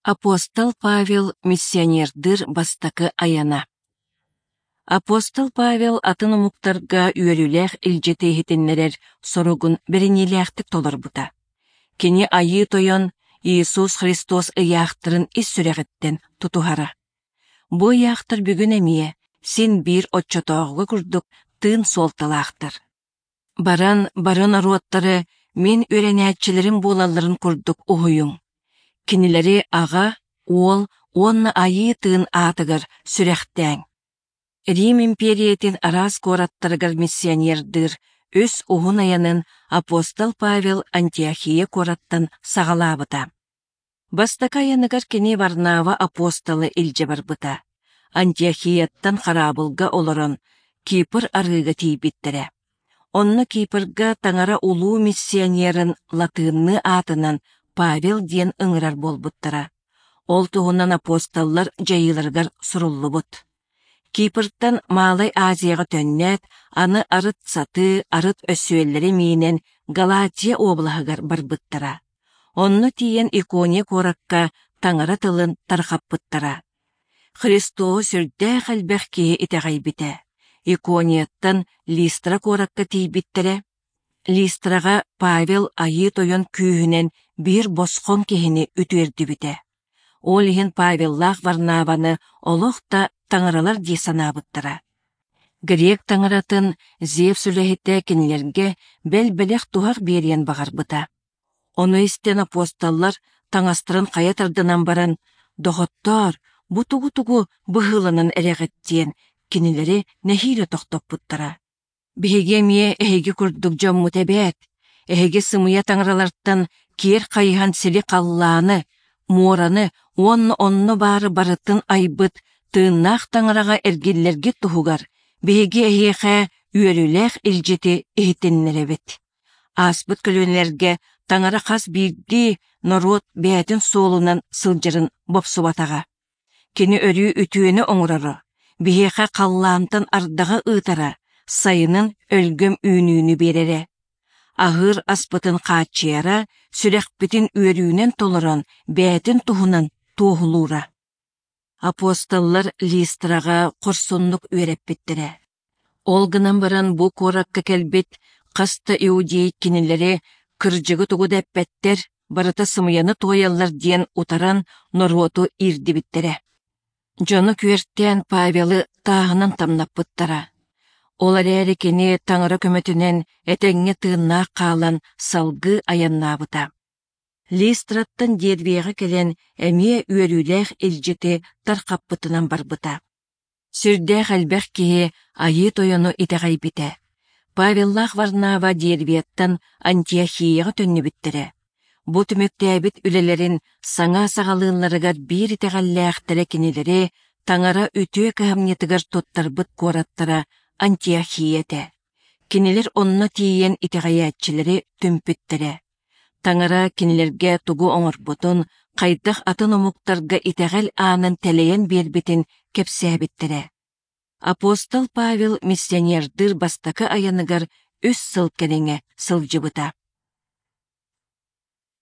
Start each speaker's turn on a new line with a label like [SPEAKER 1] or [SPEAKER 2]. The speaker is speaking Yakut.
[SPEAKER 1] Апостол Павел миссионердыыр бастакы айана. Апостол Павел атын омуктарга үөрүүлээх илдьити иһитиннэрэр соругун бэриниилээхтик толорбута. Кини Айыы Тойон Иисус Христос ыйаахтарын ис сүрэҕиттэн тутуһара. Бу ыйаахтар бүгүн эмиэ син биир оччотооҕуга курдук тыын суолталаахтар. Баран бары норуоттары мин үөрэнээччилэрим буолалларын курдук уһуйуҥ. Кинилэри Аҕа, Уол уонна Айыы Тыын аатыгар сүрэхтээҥ. Рим импиэрийэтин араас куораттарыгар миссионердыыр үс уһун айанын апостол Павел Антиохия куораттан саҕалаабыта. Бастакы айаныгар кини Варнава апостолы илдьэ барбыта. Антиохияттан хараабылга олорон Кипр арыыга тиийбиттэрэ. Онно Кипрга Таҥара улуу миссионерын латыынныы аатынан Павел диэн ыҥырар буолбуттара. Ол туһунан апостоллар дьайыыларыгар суруллубут. Кипртан Малай Азияҕа төннөөт, аны арыт сатыы, арыт өссүөллэри миинэн Галатия уобалаһыгар барбыттара. Онно тиийэн Икония куоракка Таҥара тылын тарҕаппыттара. Христоһу сүрдээх элбэх киһи итэҕэйбитэ. Иконияттан Листра куоракка тиийбиттэрэ. Листраҕа Павел Айыы Тойон күүһүнэн биир босхоҥ киһини үтүөрдүбүтэ. Ол иһин Павеллаах Варнаваны олох да таҥаралар дии санаабыттара. Грек таҥаратын Зевс үлэһитэ кинилэргэ бэл бэлэх-туһах биэриэн баҕарбыта. Ону истэн апостоллар таҥастарын хайа тардынан баран, «Доҕоттоор, бу тугу-тугу быһыыланан эрэҕит?» диэн кинилэри нэһиилэ тохтоппуттара. Биһиги эмиэ эһиги курдук дьоммут эбээт. Эһиги сымыйа таҥаралартан киэр хайыһан сири-халлааны, муораны уонна онно баары барытын айбыт тыыннаах таҥараҕа эргиллэргит туһугар биһиги эһиэхэ үөрүүлээх илдьити иһитиннэрэбит. Ааспыт көлүөнэлэргэ Таҥара хас биирдии норуот бэйэтин суолунан сылдьарын бопсубатаҕа. Кини өрүү үтүөнү оҥороро, биһиэхэ халлаантан ардаҕы ыытара, сайынын өлгөм үүнүүнү биэрэрэ. Аһыыр аспытын хааччыйара, сүрэхпитин үөрүүнэн толорон бэйэтин туһунан туоһулуура. Апостоллар Листраҕа хорсуннук үөрэппиттэрэ. Ол гынан баран бу куоракка кэлбит хас да иудей кинилэри кырдьыгы тугу да эппэттэр, барыта сымыйаны туойаллар диэн утаран норуоту иирдибиттэрэ. Дьону күөртээн Павелы тааһынан тамнаппыттара. Ол эрээри кини Таҥара көмөтүнэн этэҥҥэ тыыннаах хаалан салгыы айаннаабыта. Листраттан Дервияҕа кэлэн эмиэ үөрүүлээх илдьити тархаппытынан барбыта. Сүрдээх элбэх киһи Айыы Тойону итэҕэйбитэ. Павеллаах Варнава Дервияттан Антиохияҕа төннүбүттэрэ. Бу түмүктээбит үлэлэрин саҥа саҕалыылларыгар биир итэҕэллээхтэрэ кинилэри Таҥара үтүө кыһамньытыгар туттарбыт куораттара Антиохия этэ. Кинилэр онно тиийэн итэҕэйээччилэри түмпүттэрэ. Таҥара кинилэргэ тугу оҥорбутун, хайдах атын омуктарга итэҕэл аанын тэлэйэн биэрбитин кэпсээбиттэрэ. Апостол Павел миссионердыыр бастакы айаныгар үс сыл кэриҥэ сылдьыбыта.